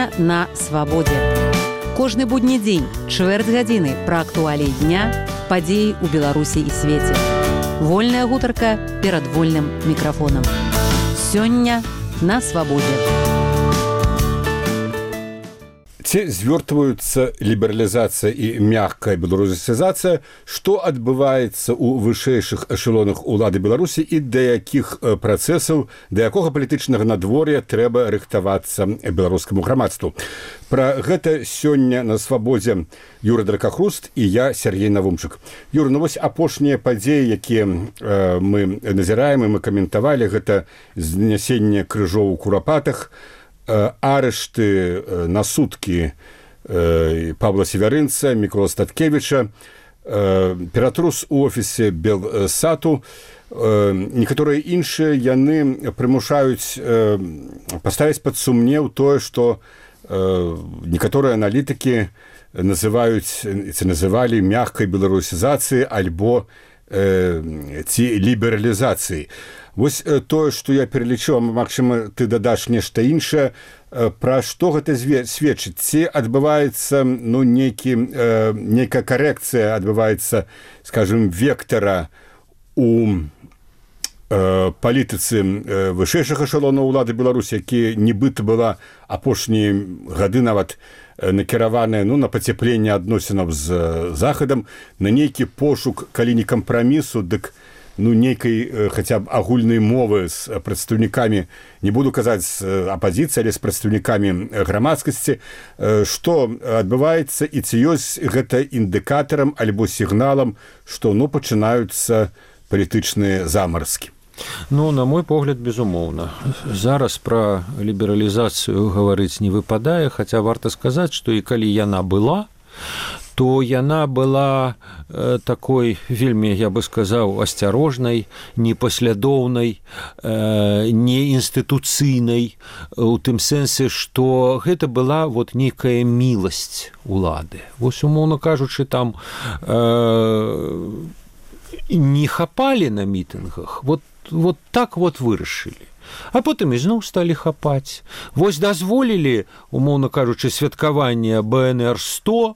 Сёння на свабодзе. Кожны будні дзень, чвэрць гадзіны пра актуаліі дня, падзеі ў Беларусі і свеце. Вольная гутарка перад вольным мікрафонам. Сёння на свабодзе. Ці звёртваюцца лібералізацыя і мяккая беларусізацыя, што адбываецца ў вышэйшых эшелонах улады Беларусі і да якіх працэсаў, да якога палітычнага надвор'я трэба рыхтавацца беларускаму грамадству. Пра гэта сёння на свабодзе Юра Дракахруст і я, Сергей Навумчык. Юра, ну вось апошнія падзеі, якія мы назіраем і мы каментавалі, гэта знясенне крыжоў у Курапатах, арышты на суткі Павла Севярынца, Мікола Статкевіча, ператрус у офісе Белсату, некаторыя іншыя яны прымушаюць паставіць пад сумнеў тое, што некаторыя аналітыкі называлі мяккай беларусізацыяй альбо ці лібералізацыяй. Вось тое, што я пералічыў, магчыма, ты дадаш нешта іншае, пра што гэта сведчыць? Ці адбываецца нейкая карэкцыя, адбываецца, скажем, вектара у палітыцы вышэйшых эшелонаў улады Беларусі, які нібыта была апошнія гады нават накіраваная на пацяпленне адносінаў з Захадам, на нейкі пошук, калі не кампрамісу, дык нейкай хаця б агульнай мовы з прадстаўнікамі, не буду казаць з апазіцыі, але з прадстаўнікамі грамадскасці, што адбываецца і ці ёсць гэта індыкатарам альбо сігналам, што пачынаюцца палітычныя замарскі. На мой погляд, безумоўна. Зараз пра лібералізацыю гаварыць не выпадае, хаця варта сказаць, што і калі яна была, то яна была такой вельмі, я бы сказаў, асцярожнай, непаслядоўнай, неінстытуцыйнай, у тым сэнсе, што гэта была нейкая міласць улады. Вось, умоўна кажучы, там не хапалі на мітынгах, так вырашылі. А потым ізноў сталі хапаць. Вось дазволілі, умоўна кажучы, святкаванне БНР-100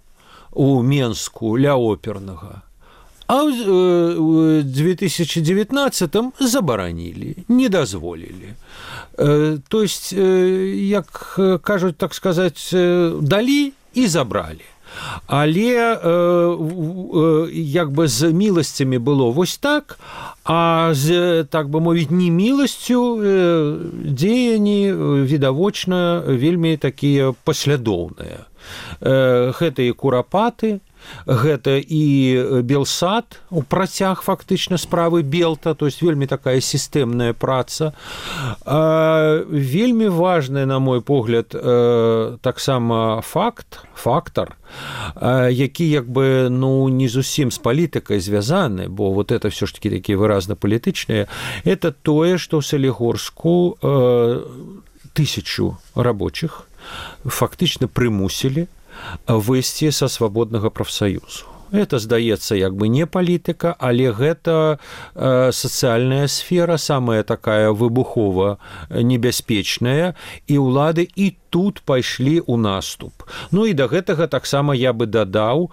у Менску ля опернага. А ў 2019-м забаранілі, не дазволілі. То есть, як кажуць, так сказаць, далі і забралі. Але як бы з міласцямі было вось так, а з, так бы мовіць, неміласцю дзеянні відавочна вельмі такія паслядоўныя. Гэта і Курапаты, гэта і Белсат, у працяг фактычна справы Белта, то есть вельмі такая сістэмная праца. Вельмі важны, на мой погляд, таксама фактар, які як бы не зусім з палітыкай звязаны, бо это все ж таки такія выразна палітычныя, это тое, што ў Салігорску 1000 рабочих фактычна прымусілі выйсці са свабоднага прафсаюзу. Это, здаецца, як бы не палітыка, але гэта сацыяльная сфера, самая такая выбухова небяспечная, і ўлады і тут пайшлі ў наступ. І да гэтага таксама я бы дадаў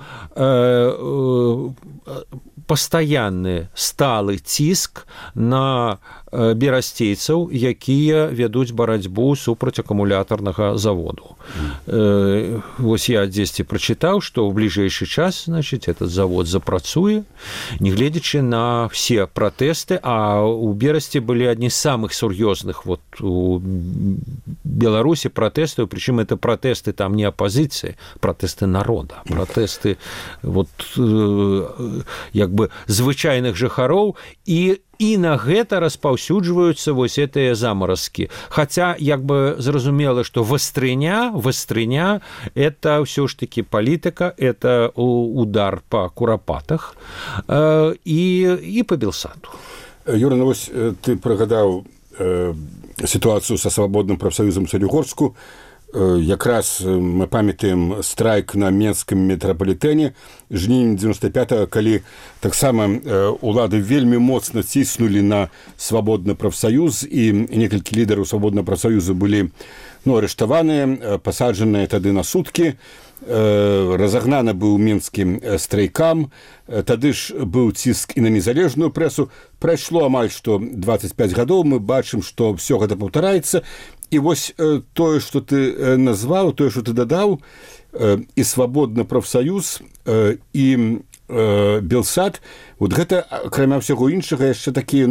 пастаянны сталы ціск на берасцейцаў, якія вядуць барацьбу супраць акумулятарнага заводу. Вось я дзесьці прачытаў, што ў бліжэйшы час, значыць, этот завод запрацуе, негледзячы на все пратэсты, а ў Берасці былі адні з самых сур'ёзных у Беларусі пратэстаў, прычым это пратэсты там не апазіцыі, пратэсты народа, пратэсты як бы звычайных жыхароў, і на гэта распаўсюджваюцца вось гэтыя замаразкі. Хаця, як бы зразумела, што вастрыня это ўсё ж такі палітыка, это удар па Курапатах і па Белсату. Юра, вось ты прыгадаў сітуацыю са свабодным прафсаюзам Салігорску. Якраз мы памятаем страйк на Менскім метрапалітэне жнівень 95-го, калі таксама улады вельмі моцна ціснулі на свабодны прафсаюз, і некалькі лідараў свабоднага прафсаюза былі арыштаваныя, пасаджаныя тады на суткі. Разагнаны быў мінскім страйкам, тады ж быў ціск і на незалежную прэсу. Прайшло амаль што 25 гадоў, мы бачым, што ўсё гэта паўтараецца. І вось тое, што ты назваў, тое, што ты дадаў, і свабодны прафсаюз, і Белсат, вот гэта, акрамя ўсяго іншага, яшчэ такія,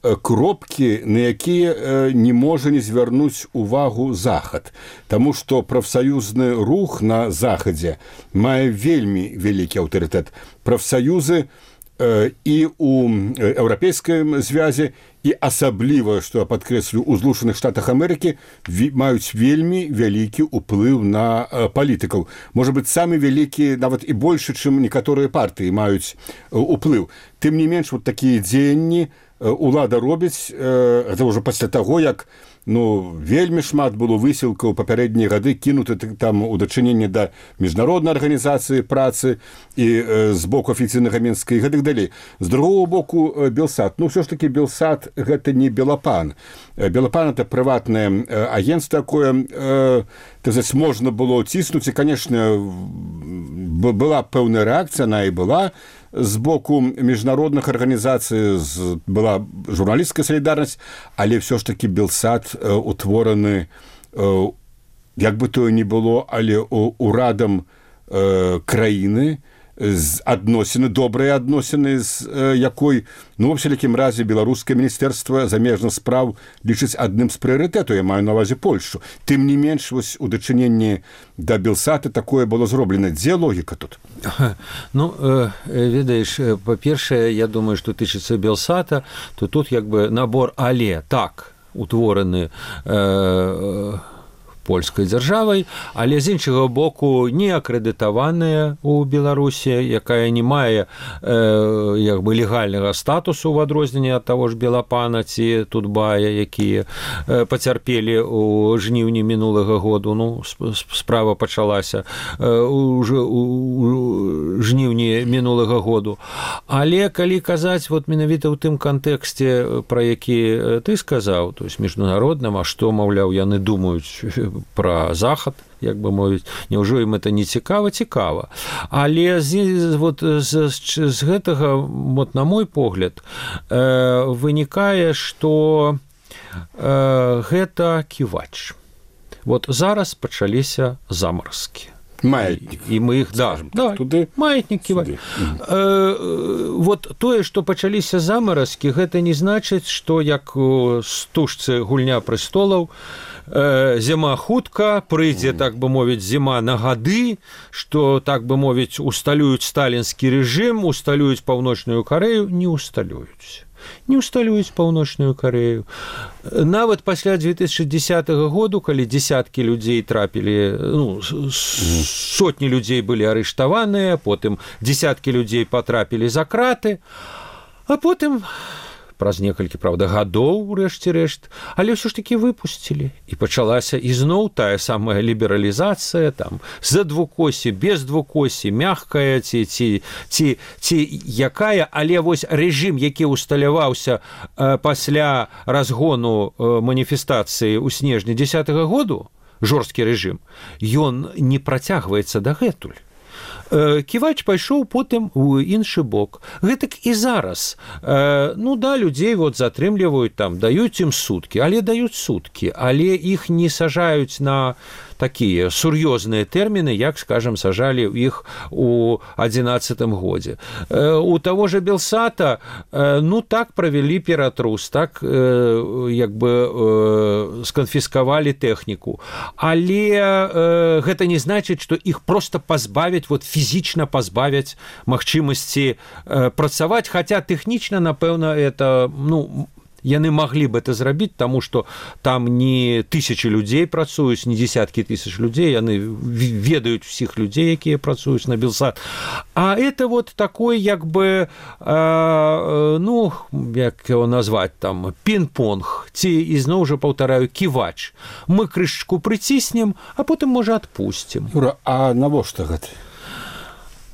кропкі, на якія не можа не звярнуць увагу Захад. Таму што прафсаюзны рух на Захадзе мае вельмі вялікі аўтарытэт. Прафсаюзы і ў еўрапейскай звязе, і асабліва, што я падкрэслю, у Злучаных Штатах Амерыкі маюць вельмі вялікі ўплыў на палітыкаў. Можа быць, самы вялікі, нават і большы, чым некаторыя партыі маюць уплыў. Тым не менш, вот такія дзеянні улада робіць, гэта ўжо пасля таго, як вельмі шмат было высілкаў папярэднія гады кінуты там у дачыненні да міжнароднай арганізацыі працы і з боку афіцыйнага Мінска і гэтак далей. З другого боку, Белсат. Ўсё ж такі Белсат гэта не Белапан. Белапан это прыватнае агенцтва, такое, можна было ціснуць, і, канешне, была пэўная рэакцыя, она і была з боку міжнародных арганізацый, была журналісцкая салідарнасць, але ўсё ж такі Белсат утвораны, як бы то ні было, але урадам краіны, адносіны, добрыя адносіны, з якой, ва ўсялякім разе, беларускае міністэрства замежных спраў лічыць адным з прыярытэтаў, я маю на ўвазе Польшу. Тым не менш, вось у дачыненні да Белсата такое было зроблена. Дзе логіка тут? Ведаеш, па-першае, я думаю, што тычыцца Белсата, то тут як бы набор але так утвораны польскай дзяржавай, але з іншага боку не акрэдытаваная ў Беларусі, якая не мае як бы легальнага статусу ў адрозненне ад таго ж Белапана ці Тутбая, якія пацярпелі ў жніўні мінулага году. Справа пачалася ўжо ў жніўні мінулага году. Але калі казаць менавіта ў тым кантэксце, пра які ты сказаў, то есть міжнародным, а што, маўляў, яны думаюць пра Захад, як бы мовіць, няўжо ім это не цікава? Цікава. Але з гэтага, на мой погляд, вынікае, што гэта ківач. Зараз пачаліся замаразкі. Маятнік. І мы іх, маятнік ківач. Тое, што пачаліся замаразкі, гэта не значыць, што як у стужцы «Гульня прэстолаў» зіма хутка, прыйдзе, так бы мовіць, зіма на гады, што, так бы мовіць, усталююць сталінскі рэжым, усталююць Паўночную Карэю, не усталююць. Не усталююць Паўночную Карэю. Нават пасля 2010 году, калі дзесяткі людзей трапілі, сотні людзей былі арыштаваныя, потым дзесяткі людзей патрапілі за краты, а потым праз некалькі, правда, гадоў, урэшце-рэшт, але ўсё ж такі выпусцілі. І пачалася ізноў тая самая лібералізацыя, там, за двукосі, без двукосі, мягкая ці якая, але вось рэжым, які усталяваўся пасля разгону маніфестацыі ў снежні 10-го году, жорсткі рэжым, ён не працягваецца дагэтуль. Ківач пайшоў потым у іншы бок. Гэтак і зараз. Людзей затрымліваюць, даюць ім суткі, але даюць суткі, але іх не сажаюць на такія сур'ёзныя тэрміны, як, скажам, сажалі іх у 11-м годзе. У таго ж Белсата, так правялі ператрус, так, як бы, сканфіскавалі тэхніку. Але гэта не значыць, што іх проста пазбавяць, фізічна пазбавяць магчымасці працаваць, хаця тэхнічна, напэўна, это, Яны маглі б это зрабіць, таму што там не тысячи людзей працуюць, не десяткі тысяч людзей, яны ведаюць усіх людзей, якія працуюць на Белсат. А это вот такой, як бы, ну, як его назваць, там, пінг-понг, ці, ізноў жа паўтараю, ківач. Мы крышачку прыціснем, а потым, можа, адпусцім. Юра, а навошта гэта?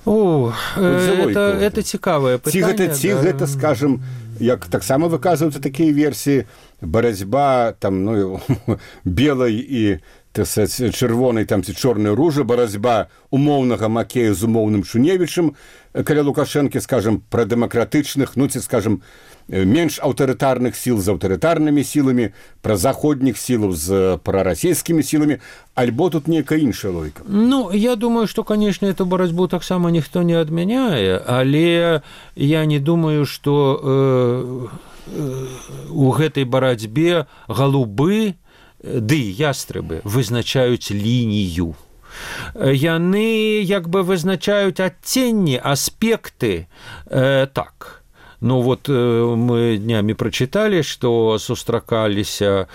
О, это цікавае пытанне. Ці гэта, скажем, як таксама выказваюцца такія версіі, барацьба там, ну, белай і чырвонай там ці чорнай ружы, барацьба умоўнага Макея з умоўным Шуневічым, каля Лукашэнкі, скажем, пра дэмакратычных, ну, ці, скажем, менш аўтарытарных сіл з аўтарытарнымі сіламі, пра заходніх сілаў з прарасійскімі сіламі, альбо тут нейкая іншая логіка? Ну, я думаю, што, канешне, эту барацьбу таксама ніхто не адмяняе, але я не думаю, што у гэтай барацьбе галубы ды ястрабы вызначаюць лінію. Яны як бы вызначаюць адценні, аспекты, так. Ну вот мы днямі прачыталі, што сустракаліся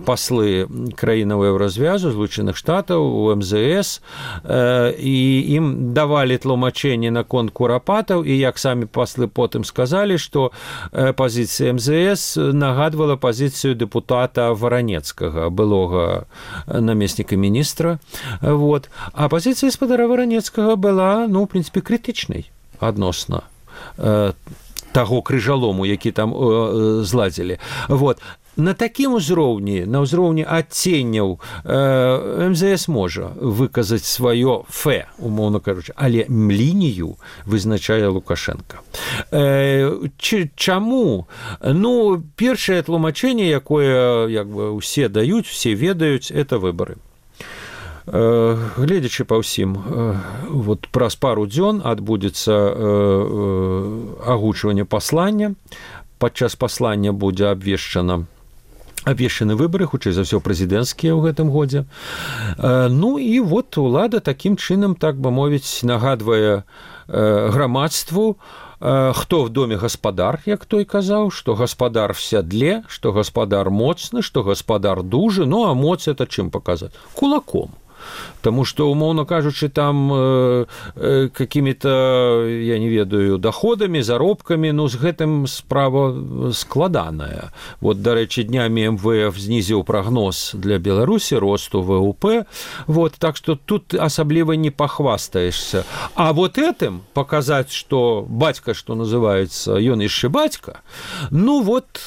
паслы краінаў Еўразвязу, Злучаных Штатаў, у МЗС, і ім давалі тлумачэнне наконт курапатаў, і як самі паслы потым сказалі, што пазіцыя МЗС нагадвала пазіцыю дэпутата Варанецкага, былога намесніка міністра. Вот. А пазіцыя спадара Варанецкага была, ну, в прынцыпе, крытычнай адносна таго крыжалому, які там зладзілі. Вот. На такім узроўні, на ўзроўні адценняў МЗС можа выказаць сваё фе, умоўна кажучы, але лінію вызначае Лукашенко. Чаму? Ну, першае тлумачэнне, якое як бы усе даюць, усе ведаюць, это выбары. Гледзячы па ўсім, вот праз пару дзён адбудзецца агучванне паслання. Падчас паслання будзе абвешчаны выбары, хутчэй за ўсё прэзідэнцкія ў гэтым годзе. Ну і вот улада такім чынам, так бы мовіць, нагадвае грамадству, хто в доме гаспадар, як той казаў, што гаспадар в сядле, што гаспадар моцны, што гаспадар дужы, ну а моц это чым паказаць? Кулаком. Таму што, умоўна кажучы, там какімі-то, я не ведаю, доходамі, заробкамі, ну, з гэтым справа складаная. Вот, дарэчы, днямі МВФ знізіў прагноз для Беларусі росту ВВП, вот, так што тут асабліва не пахвастаешься. А вот этим показаць, што бацька, што называецца, ён яшчэ бацька, ну, вот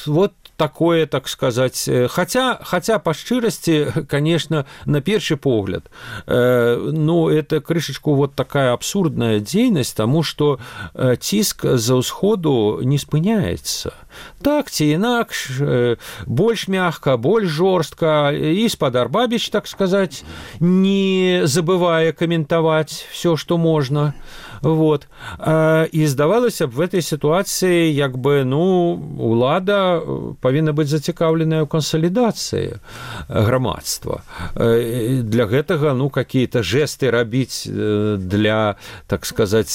такое, так сказать, хотя по шчырасці, конечно, на першы погляд, ну, это крышечку вот такая абсурдная дзейнасць, тому что ціск за ўсходу не спыняецца. Так ці інакш, больш мягка, больш жорстка, і спадар Бабіч, так сказать, не забывае каментаваць все, что можно. Вот. І здавалася б, в этой ситуации, як бы, ну, улада павінна быць зацікаўленая ў кансалідацыі грамадства. Для гэтага, ну, какие-то жесты рабіць для, так сказать,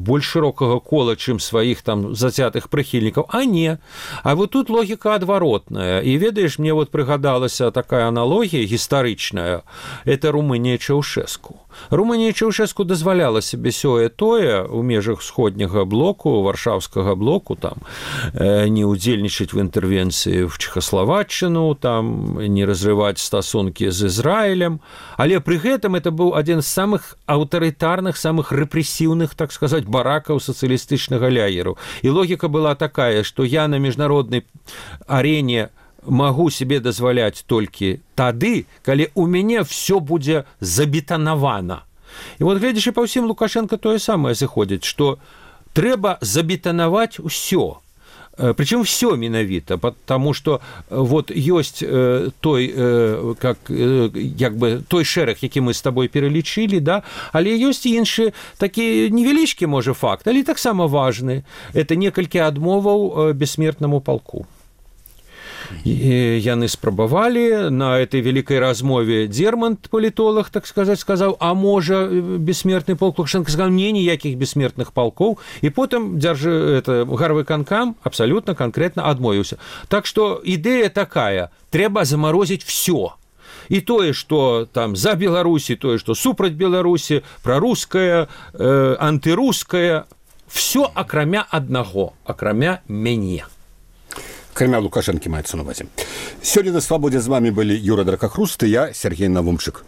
больш шырокага кола, чым сваіх там зацятых прыхільнікаў. А не. А вот тут логіка адваротная. І ведаеш, мне вот прыгадалася такая аналогія гістарычная. Это Румынія Чаўшэску. Румынія Чаўшэску дазваляла себе сёе-тое ў межах сходняга блоку, варшаўскага блоку, там, не удзельнічаць в інтэрвенцыі в Чехословаччыну, там, не разрываць стасункі з Ізраілем, але пры гэтым это быў адзін з самых аўтарытарных, самых рэпрэсіўных, так сказать, баракаў сацыялістычнага ляеру. І логіка была такая, што я на міжнароднай арене могу себе дазваляць толькі тады, калі у мяне все будзе забетанавана. І вот, гледзячы па ўсім, Лукашенко тое самае зыходзіць, што трэба забетанаваць усё. Причем все менавіта, потому что вот ёсць той, як бы, той шэраг, які мы с тобой пералічылі, да? Але ёсць іншы такі невялічкі, можа, факт, але таксама важны. Это некалькі адмоваў бессмертнаму палку. яны спрабавалі на этой вялікай размове. Дзермант, палітолог, так сказаць, сказаў, а можа бессмертны полк Лукашенко сказаў, не, ніякіх бессмертных полкоў, і потым гарвыканкам абсалютна канкрэтна адмовіўся. Так што ідэя такая, трэба замарозіць все. І тое, што там за Беларусі, тое, што супраць Беларусі, прарускае, антырускае, все акрамя аднаго, акрамя мяне. Акрамя Лукашэнкі маецца на увазе. Сёння на Свабодзе з вамі былі Юра Дракахруст і я, Сергей Навумчык.